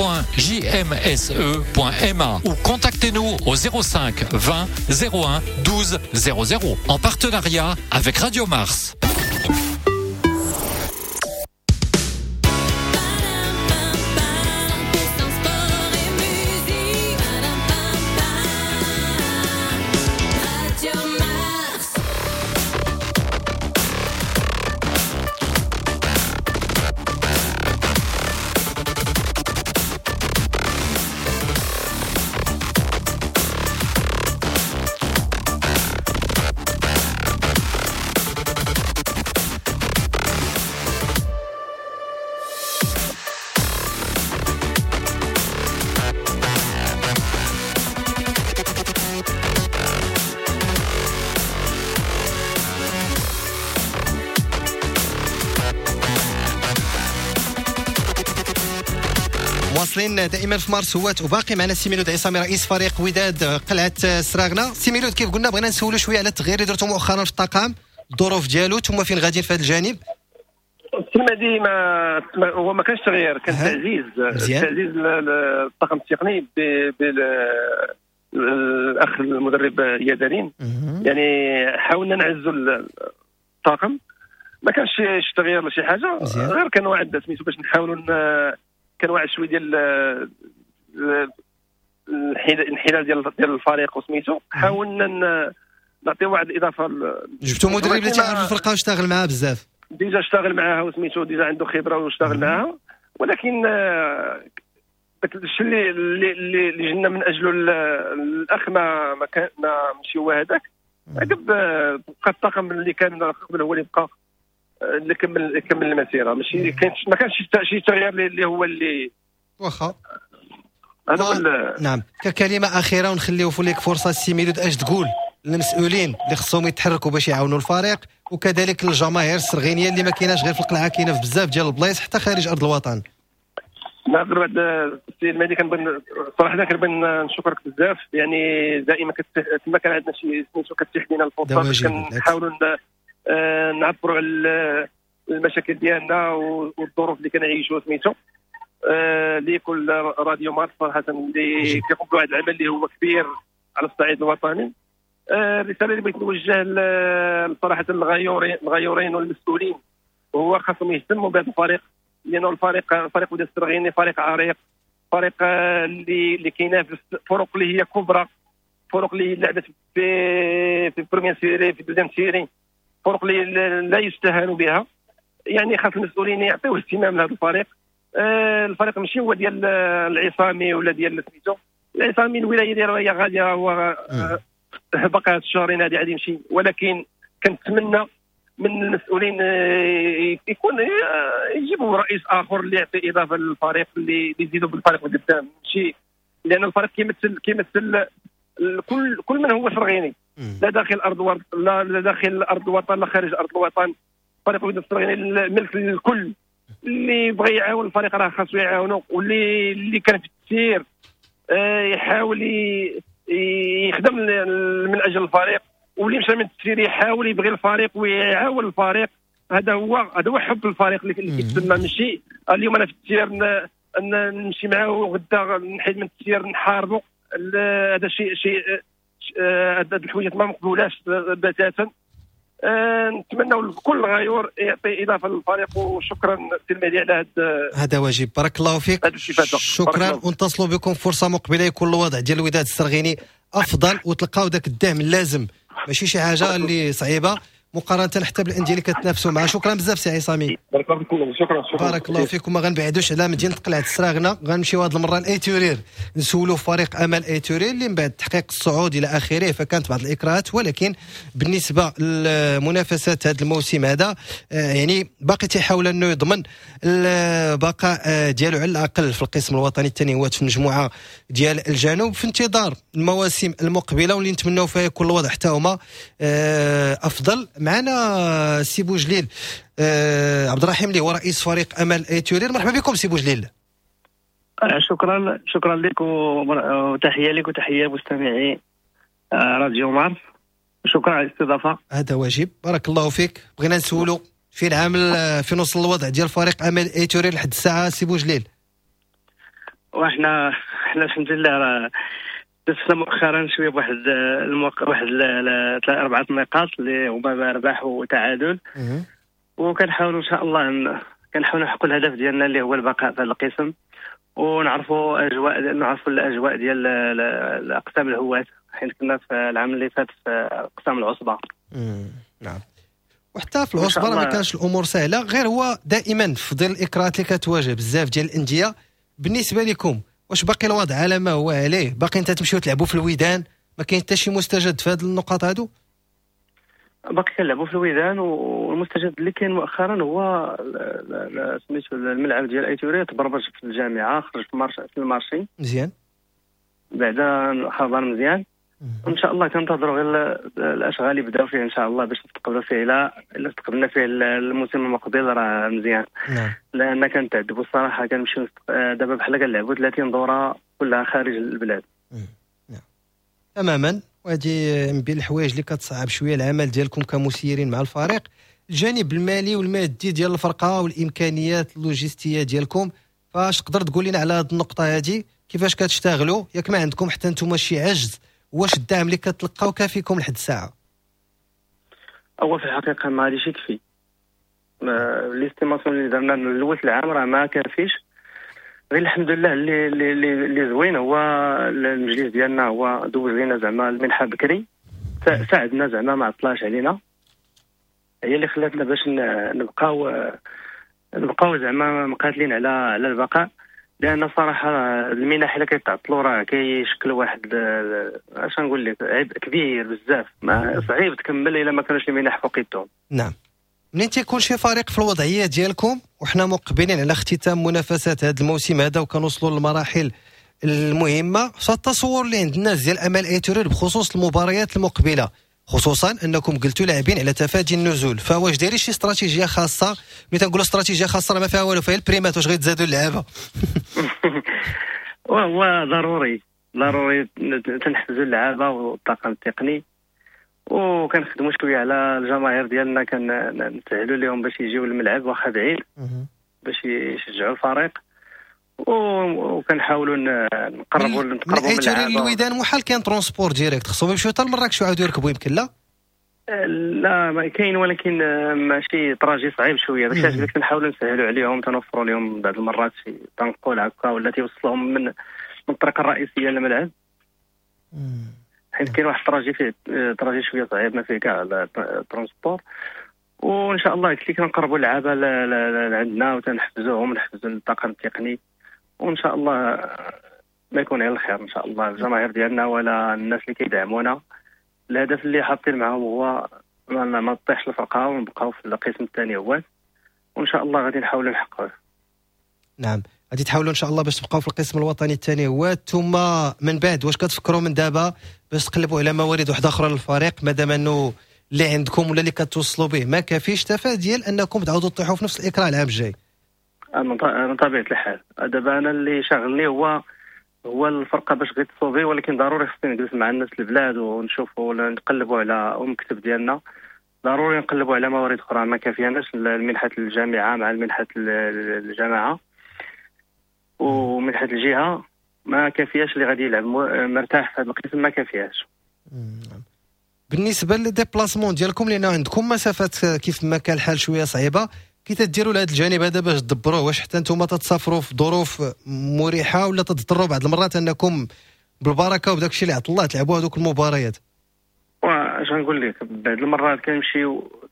ou contactez-nous au 05 20 01 12 00 en partenariat avec Radio Mars. مواصلين دائما في مارس هوات، وباقي معنا سي ميلود عصامي رئيس فريق وداد قلعة سراغنا. سي ميلود، كيف قلنا بغينا نسولو شوية على التغيير اللي درتو مؤخرا في الطاقم، الظروف ديالو، ثم فين غاديين في هذا الجانب. السيمادي ما هو ما كانش تغيير، كان تعزيز، تعزيز الطاقم التقني بالاخ المدرب يدارين. يعني حاولنا نعزوا الطاقم، ما كانش شي تغيير ولا شي حاجة، غير كان واحد سميتو باش نحاولوا كان واحد شوية ديال الانحلال ديال الفريق وسميتو، حاولنا نعطيو واحد الاضافة. جبتو مدرب اللي تيعرف الفرقة واشتغل معاه بزاف، déjà اشتغل معاها وسميتو déjà عنده خبره واشتغل معاها، ولكن داك الشيء اللي اللي جينا من اجله الاخ ما كان ماشي هو هذاك. عقب بقى الطاقم اللي كان قبل هو اللي بقى اللي كمل المسيرة، ماشي ما كانش شي تغيير اللي هو اللي واخا هذا هو. نعم، ككلمة اخيرة ونخليو لك فرصة سي ميلود، اش تقول للمسؤولين اللي خصهم يتحركوا باش يعاونوا الفريق، وكذلك الجماهير السرغينيه اللي ما كايناش غير في القلعة، كاينه في بزاف ديال البلايص حتى خارج ارض الوطن؟ نهضر بعد السي المهدي، كنبغي صراحة كنبغي نشكرك بزاف، يعني دائما تما كان عندنا شي سميتو كتيح لينا الفرصة باش كنحاولوا نعبروا على المشاكل ديالنا والظروف اللي كنعيشوا سميتو. لكل راديو مارس صراحة اللي كيقوم بواحد العمل اللي هو كبير على الصعيد الوطني. الرسالة اللي بغيت نوجهها صراحة الغيورين والمسؤولين، وهو خاصهم يهتموا بهذا الفريق، لانه الفريق فريق وداد السرغيني فريق عريق، فريق اللي كينافس فرق اللي هي كبرى، فرق اللي لعبت في première série، في deuxième série، فرق اللي لا يستهان بها. يعني خاص المسؤولين يعطيو اهتمام لهذا الفريق. الفريق ماشي هو ديال العصامي ولا ديال سميتو العصامي، الولاية ديالو هي غادية، هو بقى هاد الشهرين هادي غادي يمشي، ولكن كنتمنى من المسؤولين يكون يجيبوا رئيس اخر اللي يعطي اضافه للفريق، اللي يزيدوا بالفريق قدام، ماشي لان الفريق كيمثل كل من هو سرغيني، لا داخل ارض لا داخل ارض الوطن لا خارج ارض الوطن. فريق وداد السرغيني ملك للكل، اللي بغى يعاون الفريق راه خاصو يعاونو، واللي كان في التسيير يحاول يخدم من اجل الفريق، واللي مشى من التسيير يحاول يبغي الفريق ويعاون الفريق. هذا هو حب الفريق اللي كيتسمى. ماشي اليوم انا في التسيير نمشي معاه وغدا نحيد من التسيير نحاربو. هذا شيء هاد الحوايج ما مقبولاش بتاتا. نتمنوا لكل غيور يعطي اضافه للفريق. وشكرا سي المهدي على هذا واجب. بارك الله فيك، شكرا. ونتصلوا بكم فرصة مقبله يكون الوضع ديال الوداد السرغيني افضل وتلقاو ذاك الدعم اللازم، ماشي شي حاجة اللي صعيبة مقارنة حتى بالاندية اللي كتنافسوا معها. شكرا بزاف سي عصامي، بارك الله فيكم. شكرا بارك الله فيكم. ما غنبعدوش على مدينة قلعه السراغنه، غنمشيو هذه المرة لايتورير نسولوا فريق امل ايتورير اللي من بعد تحقيق الصعود الى اخره فكانت بعض الاكراهات، ولكن بالنسبة للمنافسات هذا الموسم هذا يعني باقي تيحاول انه يضمن البقاء ديالو على الاقل في القسم الوطني الثاني هو في المجموعة ديال الجنوب، في انتظار المواسم المقبلة واللي نتمناو فيها يكون الوضع حتى هما افضل. معنا سي بوجليل عبد الرحيم اللي هو رئيس فريق امل ايتورير. مرحبا بكم سي بوجليل. شكرا، شكرا لك وتحية لك وتحية مستمعي راديو مارس. شكرا على الاستضافة. هذا واجب، بارك الله فيك. بغينا نسولو فين عامل فين وصل الوضع ديال فريق امل ايتورير لحد الساعة سي بوجليل؟ وحنا الحمد لله راه دزنا مؤخرا شوية بواحد واحد 4 نقاط اللي هما رباح وتعادل، وكنحاولوا ان شاء الله كنحاولوا نحققوا الهدف ديالنا اللي هو البقاء في هذا القسم، ونعرفوا اجواء، نعرفوا الاجواء ديال الاقسام الهواة، حيت كنا في العام اللي فات في اقسام العصبة. نعم، وحتى في العصبة ما كانش الامور سهلة، غير هو دائما في ظل الاكراهات اللي كتواجه بزاف ديال الاندية. بالنسبة لكم واش باقي الوضع على ما هو عليه؟ باقي انت تمشيو تلعبوا في الويدان؟ ما كاين حتى شي مستجد في هذه النقاط هادو؟ باقي كنلعبوا في الويدان، والمستجد اللي كاين مؤخرا هو سميتو الملعب ديال ايتوري تبرمج في الجامعة، خرج في ال marché مزيان، بعدا خبر مزيان. وان شاء الله كنتظروا غير الاشغال يبداو فيه ان شاء الله باش نستقبلوا فيه. الا استقبلنا فيه الموسم المقبل راه مزيان. نعم. لان كنتعذبوا الصراحة، كنمشيو دابا بحال كنلعبوا 30 دوره كلها خارج البلاد. نعم تماما، وهذه من بين الحوايج اللي كتصعب شوية العمل ديالكم كمسيرين مع الفريق، الجانب المالي والمادي ديال الفرقة والامكانيات اللوجستية ديالكم. فاش تقدر تقول لنا على هذه النقطة هذه كيفاش كتشتغلوا؟ ياك ما عندكم حتى نتوما شي عجز؟ واش الدعم اللي كتلقاو كافيكم لحد الساعة؟ هو في الحقيقة ما غاديش يكفي. l'estimation اللي درنا من الاول العام راه ما كافيش. غير الحمد لله اللي اللي زوين هو المجلس ديالنا هو دوز لينا زعما المنحة بكري، ساعدنا زعما ما عطلاش علينا، هي اللي خلاتنا باش نبقاو زعما مقاتلين على البقاء. لان صراحة المنح الا كيتعطلوا راه كيشكلوا واحد اش نقول لك عبء كبير بزاف، ما صعيب تكمل الا ما كانوش المنح فوق يدهم. نعم، منين تيكون شي فريق في الوضعية ديالكم وحنا مقبلين على اختتام منافسات هذا الموسم هذا وكنوصلوا للمراحل المهمة، فالتصور اللي عند الناس ديال امل ايتورير بخصوص المباريات المقبلة، خصوصا انكم قلتوا لاعبين على تفادي النزول، فواش دايرين شي استراتيجية خاصة؟ ملي تنقولوا استراتيجية خاصة راه ما فيها والو، فيها البريمات واش غيتزادوا اللعابه؟ وهو ضروري تنحفزوا اللعابه والطاقم التقني، وكنخدموا شوية على الجماهير ديالنا، كنسهلوا لهم باش يجيو للملعب واخا بعيد باش يشجعوا الفريق، وكنحاولوا نقربوا من اللعابه. الويدان محال كاين transport direct، خصهم يمشيو حتى لمراكش ويعاودوا يركبوا يمكن؟ لا لا ما كاين، ولكن ماشي trajet صعيب شوية. داكشي علاش كنحاولوا نسهلوا عليهم، تنوفروا لهم بعض المرات شي تنقل هكا ولا تيوصلهم من الطريق الرئيسية للملعب، حيت كاين واحد ال trajet فيه trajet شوية صعيب ما فيه كاع ال transport. وان شاء الله قلت لك كنقربوا اللعابه لعندنا وتنحفزوهم، نحفزوا الطاقم التقني، وان شاء الله ما يكون غير الخير ان شاء الله. الجماهير ديالنا ولا الناس اللي كيدعمونا، الهدف اللي حاطين معاهم هو ما تطيحش الفرقة ونبقاو في القسم الثاني هو، وان شاء الله غادي نحاولوا نحققوه. نعم، غادي تحاولوا ان شاء الله باش تبقاو في القسم الوطني الثاني هو، ثم من بعد واش كتفكروا من دابا باش تقلبوا على موارد واحدة اخرى للفريق، مادام انه اللي عندكم ولا اللي كتوصلوا به ما كافيش تفاديا انكم تعاودوا تطيحوا في نفس الاكراه العام الجاي؟ من طبيعة الحال. دابا انا اللي شاغلني هو الفرقة باش غير تصوفي، ولكن ضروري خصني نجلس مع الناس البلاد ونشوفوا ولا نقلبوا على المكتب ديالنا، ضروري نقلبوا على موارد اخرى. ما كافياناش المنحة الجامعة مع المنحة الجماعة ومنحه الجهة، ما كافياش. اللي غادي يلعب مرتاح في هذا القسم ما كافياش. بالنسبة لل déplacements ديالكم، لان عندكم مسافات كيف ما كان الحال شوية صعيبة، كي تديروا لهذا الجانب هذا باش تدبروه؟ واش حتى انتم تتسافروا في ظروف مريحه ولا تضطروا بعض المرات انكم بالبركة وبداك الشيء اللي عطا الله تلعبوا هذوك المباريات؟ واش غنقول لك، بعض المرات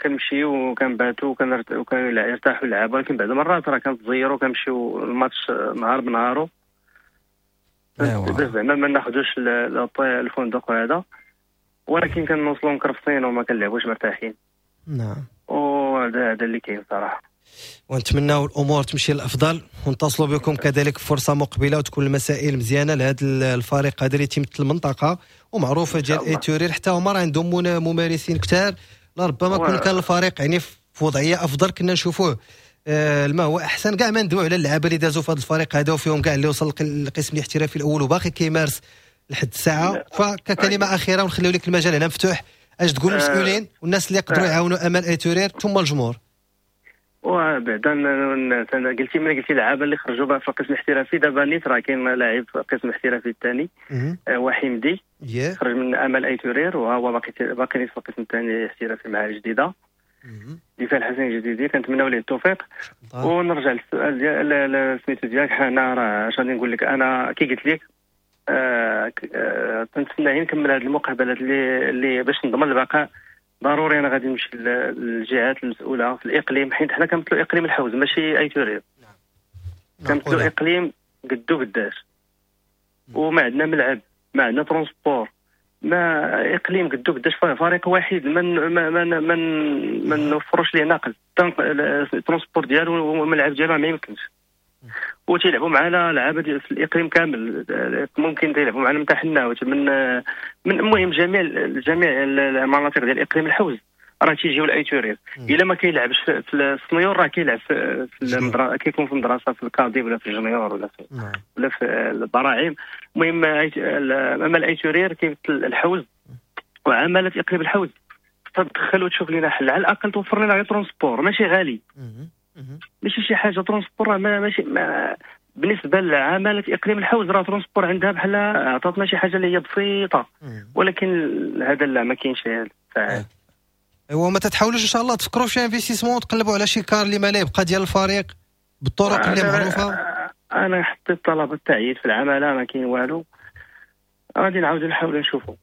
كنمشيو وكنباتوا وكنرتاحوا اللعابه، ولكن بعض المرات راه كنتزيروا كنمشيو الماتش نهار بنهارو. زعما ما ناخذوش الفندق هذا، ولكن كنوصلوا مكرفصين وما كنلعبوش مرتاحين. نعم، وهذا اللي كاين صراحة. ونتمناو الامور تمشي للافضل، ونتصلوا بكم كذلك في فرصة مقبله وتكون المسائل مزيانه لهذا الفريق هذا اللي تيمثل المنطقة ومعروفة ديال ايتورير. حتى هما راه عندهم ممارسين كثار، لربما كون كان الفريق يعني في وضعية افضل كنا نشوفوه ما هو احسن. كاع ما ندوي على اللعابه اللي دازوا في هذا الفريق هذا وفيهم كاع اللي وصل للقسم الاحترافي الاول وباقي كيمارس لحد الساعة. فككلمه اخيرة ونخليو لك المجال هنا مفتوح، اش تقول للمسؤولين والناس اللي يقدروا يعاونوا امل ايتورير ثم الجمهور؟ وبعدا قلتي ملي قلتي اللعابه اللي خرجوا بقى في القسم الاحترافي، دابا نيت راه كاين لاعب في القسم الاحترافي الثاني وحمدي خرج من امل ايتورير، وهو باقي نيت في القسم الثاني الاحترافي مع الجديدة دفاع الحسن الجديدي. كنتمناو ليه التوفيق. ونرجع للسؤال ديال سميتو ديالك، انا راه اش غادي نقول لك، انا كي قلت لك كنتسنى نكمل هذه المقابلات اللي باش نضمن البقاء. ضروري انا غادي نمشي للجهات المسؤولة في الاقليم، حيت حنا كنمثلوا اقليم الحوز ماشي ايتورير. نعم. كنمثلوا اقليم قدو قداش، وما عندنا ملعب، ما عندنا transport، ما اقليم قدو قداش، فريق واحد ما ما ما ما نوفروش ليه نقل transport ديالو والملعب ديالو ما يمكنش. وتيلعبوا معنا لعابه في الاقليم كامل، ممكن تيلعبوا معنا من تحنا من المهم جميع المناطق ديال الاقليم الحوز راه تيجيو لايتورير. الا ما كيلعبش في ال senior راه كيلعب في المدرسة، كيكون في المدرسة في ال cadet ولا في ال junior ولا في البراعم. المهم اما الايتورير كيمثل الحوز وعماله اقليم الحوز، تدخل وتشوف لنا حل، على الاقل توفر لنا غير transport ماشي غالي، ماشي شي حاجة. transport ماشي ما بالنسبة لعماله اقليم الحوز راه transport عندها بحال عطاتنا شي حاجة اللي هي بسيطة، ولكن هذا لا ما كاينش فعال. ايوا ما تتحاولوش ان شاء الله تفكروا في شي investissement، تقلبوا على شي car اللي ما لا يبقى ديال الفريق بالطرق اللي معروفة؟ انا حطيت طلب التعيين في العمالة ما كاين والو، غادي نعاودو نحاولوا نشوفوا،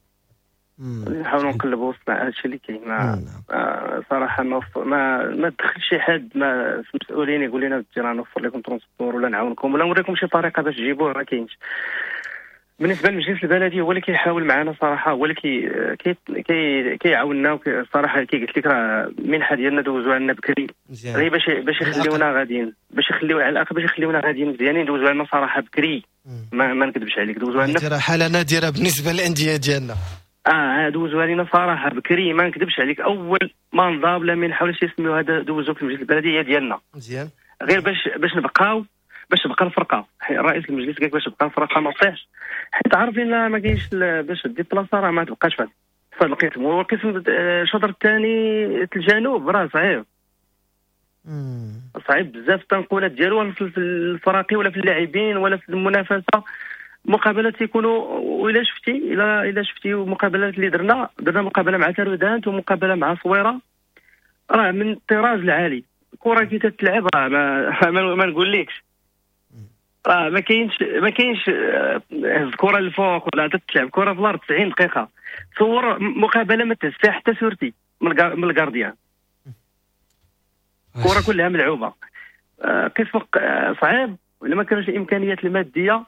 نحاولوا نقلبوا وسط هادشي اللي كاين. صراحة ما دخل شي حد ما في المسؤولين يقول لنا راه نوفر لكم transport ولا نعاونكم ولا نوريكم شي طريقه باش تجيبوه، ما كاينش. بالنسبة للمجلس البلدي هو اللي كيحاول معنا صراحة، هو اللي كيعاوننا صراحة. كي قلت لك راه المنحة ديالنا دوزوها لنا بكري غير باش يخليونا غاديين، باش يخليو على الاقل باش يخليونا غاديين مزيانين، دوزوها لنا صراحة بكري. ما نكذبش عليك دوزوها لنا. راه حاله نادرة بالنسبة للاندية ديالنا. دوزوها لنا صراحة بكري، ما نكذبش عليك. اول ما نضاب لا منحه ولا شي يسميو هذا دوزو في المجلس البلدي ديالنا مزيان، غير باش نبقاو، باش تبقى الفرقة. رئيس المجلس قال باش تبقى الفرقة ما تطيحش، حيت عارفين ما كاينش باش déplacer راه ما تبقاش في هذا القسم. والقسم الشطر الثاني الجنوب راه صعيب، صعيب بزاف التنقلات ديالو في الفراقي ولا في اللاعبين ولا في المنافسة. مقابلات تيكونوا، وإلا شفتي إلا شفتي مقابلات اللي درنا مقابله مع تارودانت ومقابله مع صويره، راه من الطراز العالي. الكره كي تتلعب راه ما نقولكش راه ما كاينش هز الكره للفوق ولا تتلعب كره في الارض 90 دقيقة. تصور مقابله ما تهز فيها حتى sortie من ال gardien، الكره كلها ملعوبه. قسم صعيب ولا ما كانوش الامكانيات المادية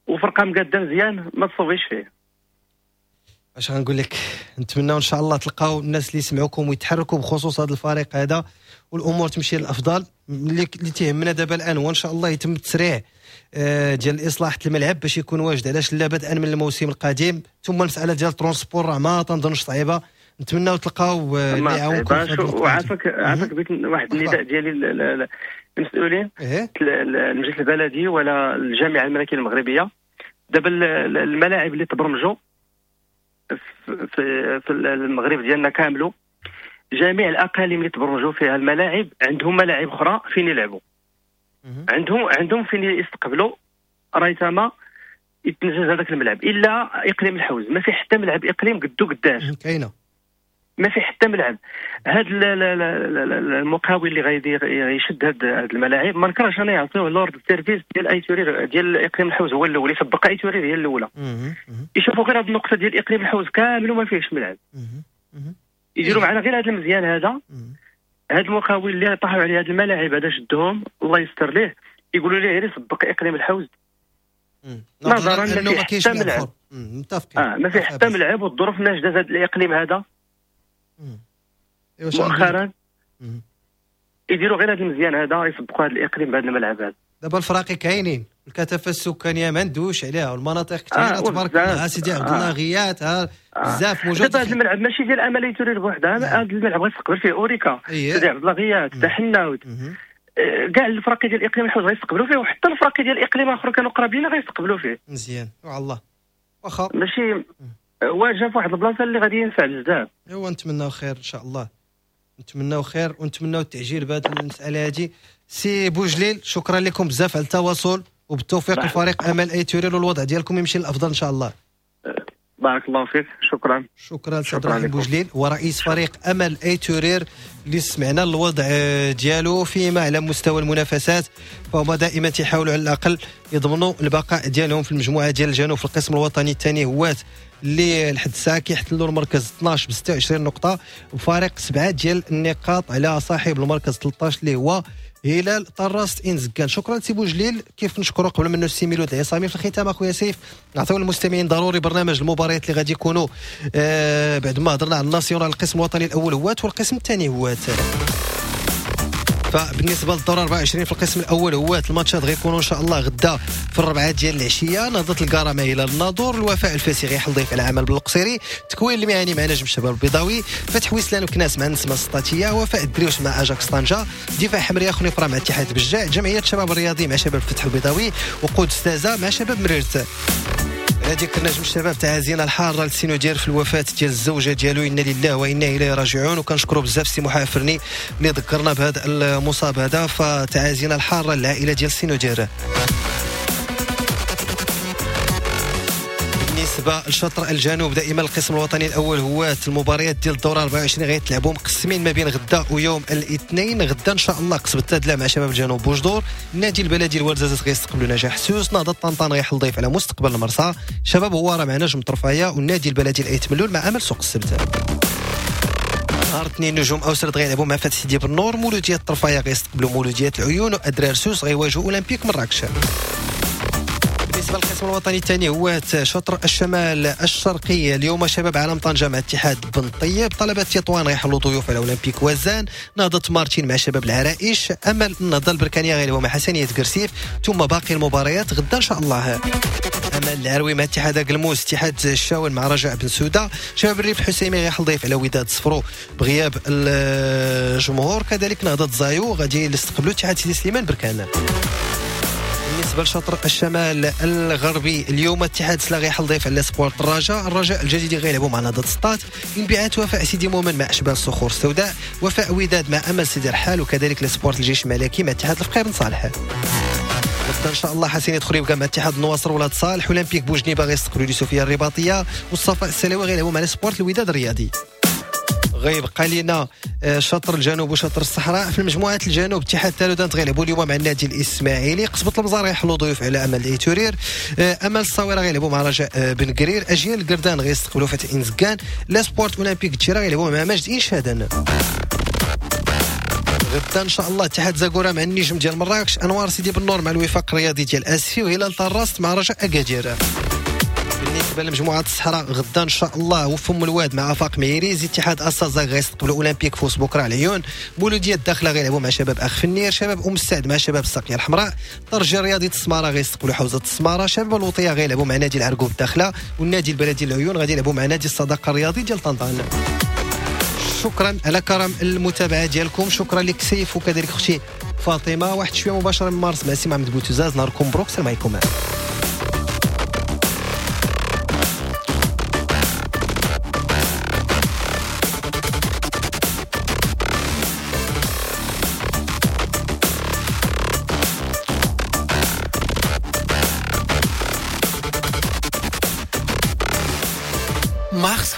وفرقه مقاده مزيان ما تصوفيش فيه. اش غنقول لك، نتمنى ان شاء الله تلقاو الناس اللي يسمعوكم ويتحركوا بخصوص هذا الفريق هذا والامور تمشي للافضل. اللي تيهمنا دابا الان هو ان شاء الله يتم التسريع ديال الاصلاح الملعب باش يكون واجد، علاش لا بدءا من الموسم القادم. ثم المسالة ديال ال transport راه ما تنظنش صعيبة، نتمناو تلقاو اللي يعاونكم. وعافاك عافاك بغيت واحد النداء ديالي المسؤولين المجلس البلدي ولا الجامعة الملكية المغربية. دابا الملاعب اللي تبرمجوا في المغرب ديالنا كاملو، جميع الاقاليم اللي تبرمجوا فيها الملاعب عندهم ملاعب اخرى فين يلعبوا، عندهم فين يستقبلوا ريثما يتنجز هذاك الملعب. الا اقليم الحوز ما في حتى ملعب اقليم قدو قداش كاينه، ما في حتى ملعب. هذا المقاول اللي غادي يشد هاد الملاعب ما نكرهش انا يعطيوه l'ordre service ديال ايتورير ديال اقليم الحوز هو الاول، يسبق ايتورير هي الاولى. يشوفوا غير هاد النقطة ديال اقليم الحوز كامل وما فيهش ملعب، يديروا معنا غير هذا المزيان هذا. هاد المقاول اللي طاحوا عليه هاد الملاعب هذا شدهم الله يستر ليه، يقولوا ليه غير يسبق اقليم الحوز نظرا انه ما كاينش ملعب. متفقين. ما في حتى ملعب والظروف ناجده هذا الاقليم هذا مؤخرا. يديروا غير هذا المزيان هذا، يسبقوا هذا الاقليم بهذا الملعب هذا. دابا الفراقي كاينين، الكثافة السكانية ما ندوش عليها، والمناطق كثيرة تبارك الله. سيدي عبد الله غيات بزاف موجود. دابا هذا الملعب ماشي ديال امل ايتورير بوحدها، هذا الملعب غيستقبل فيه اوريكا، سيدي عبد الله غيات، تحناوت، كاع الفراقي ديال الاقليم الحوز غيستقبلوا فيه، وحتى الفراقي ديال الاقليم اخر كانوا قرابين غيستقبلوا فيه. مزيان وعلى واخا ماشي واجه في واحد البلاصة اللي غادي ينفع بزاف. ايوا نتمناو خير ان شاء الله، نتمناو خير ونتمناو التعجيل بهذه المسالة هذه. سي بوجليل شكرا لكم بزاف على التواصل، وبالتوفيق لفريق امل ايتورير، والوضع ديالكم يمشي للافضل ان شاء الله. بارك الله فيك، شكرا. شكرا سي عبد الرحيم بوجليل ورئيس فريق امل ايتورير اللي سمعنا الوضع ديالو فيما على مستوى المنافسات، فهما دائما تيحاولوا على الاقل يضمنوا البقاء ديالهم في المجموعة ديال الجنوب في القسم الوطني الثاني هوات اللي لحد الساعة كيحتلوا المركز 12 ب 26 نقطة، وفارق 7 ديال النقاط على صاحب المركز 13 اللي هو هلال طراست انزكان. شكرا سي بوجليل، كيف نشكروا قبل منه السي ميلود العصامي. في الختام اخويا سيف نعطيو للمستمعين ضروري برنامج المباريات اللي غادي يكونوا بعد ما هضرنا على ال national القسم الوطني الاول هوات والقسم الثاني هوات. فبالنسبه للدور 24 في القسم الاول هوات الماتشات غيكونوا ان شاء الله غدا في 4 ديال العشية، نهضة الكرامة الى الناظور، الوفاء الفاسي غيحل ضيف على عمل بالقصيري، تكوين المهني مع نجم الشباب البيضاوي، فتح ويسلان وكناس مع النسمه السطاتيه، وفاء الدريوش مع اجاكس طنجه، دفاع حمريه خنيفره مع اتحاد بجاع، جمعية الشباب الرياضي مع شباب الفتح البيضاوي، وقود تازا مع شباب مريرت. هذيك النجم الشباب تعازينا الحارة للسينو ديال في الوفاة ديال الزوجة ديالو، انا لله وانا اليه راجعون. وكنشكروا بزاف سي محافرني اللي ذكرنا بهذا المصاب هذا، فتعازينا الحارة للعائلة ديال السينو ديال. بالنسبة لشطر الجنوب دائما القسم الوطني الاول هو المباريات ديال الدورة 24 غيتلعبوا مقسمين ما بين غدا ويوم الاثنين. غدا ان شاء الله قصبة تادلا مع شباب الجنوب بوجدور، النادي البلدي الورزازات غيستقبلوا نجاح سوس، نهضة طنطان غيحل ضيف على مستقبل المرسى، شباب هواره مع نجم طرفايه، والنادي البلدي الايت ملول مع امل سوق السبت. نهار اثنين نجوم اوسرد غيلعبوا مع فتح سيدي بالنور، مولوديه طرفايه غيستقبلوا مولوديه العيون، وادرار سوس غيواجهوا اولمبيك مراكش. بالنسبة للقسم الوطني الثاني هو شطر الشمال الشرقي، اليوم شباب عالم طنجه مع اتحاد بن طيب، طلبه تطوان غيحلوا ضيوف على اولمبيك وزان، نهضة مارتين مع شباب العرائش، امل النهضة البركانيه غيلعبوا مع حسنيه قرسيف، ثم باقي المباريات غدا ان شاء الله. امل العروي مع اتحاد قلموس، اتحاد الشاون مع رجاء بن سوده، شباب الريف الحسيمي غيحل ضيف على وداد صفرو بغياب الجمهور، كذلك نهضة زايو غادي يستقبلوا اتحاد سيدي سليمان بركان. بالنسبة لشطر الشمال الغربي اليوم اتحاد سلا غيحل ضيف على سبورت الرجاء، الرجاء الجديد غيلعبوا مع نهضة سطات، انبعاث وفاء سيدي مومن مع اشبال الصخور السوداء، وفاء وداد مع امل سيدي رحال، وكذلك لسبورت الجيش الملكي مع اتحاد الفقير بن صالح. غدا ان شاء الله حسين خريبكة مع اتحاد النواصر ولاد صالح، اولمبيك بوجنيبه غيستقبلوا اليوسفيه الرباطيه، والصفاء السلاوي غيلعبوا مع سبورت الوداد الرياضي. غيبقى لنا شطر الجنوب وشطر الصحراء. في المجموعات الجنوب اتحاد تالودانت غيلعبوا اليوم مع النادي الاسماعيلي، قصبة المزار غيحلوا ضيوف على امل ايتورير، امل الصويره غيلعبوا مع رجاء بن قرير، اجيال القردان غيستقبلوا فتح انزكان، لا سبورت اولمبيك تشيرا غيلعبوا مع مجد انشادن. غدا ان شاء الله اتحاد زاكورة مع النجم ديال مراكش، انوار سيدي بالنور مع الوفاق الرياضي ديال اسفي، وهلال طراست مع رجاء اكادير. بالنسبة لمجموعة الصحراء غدا ان شاء الله وفم الواد مع افاق ميريز، اتحاد اسازا غيستقبلوا اولمبيك فوس بكره على العيون، مولوديه الداخلة غيلعبوا مع شباب اخ فنير، شباب ام السعد مع شباب الساقيه الحمراء، ترجي الرياضي السماره غيستقبلوا حوزة السماره، شباب الوطية غيلعبوا مع نادي العرقوب الداخلة، والنادي البلدي العيون غادي يلعبوا مع نادي الصداقة الرياضي ديال طنطان. شكرا على كرم المتابعة ديالكم، شكرا لك سيف وكذلك اختي فاطمة. واحد شوية مباشرة من مارس مع سي محمد بوتوزاز. نهاركم مبروك، السلام عليكم. مارس.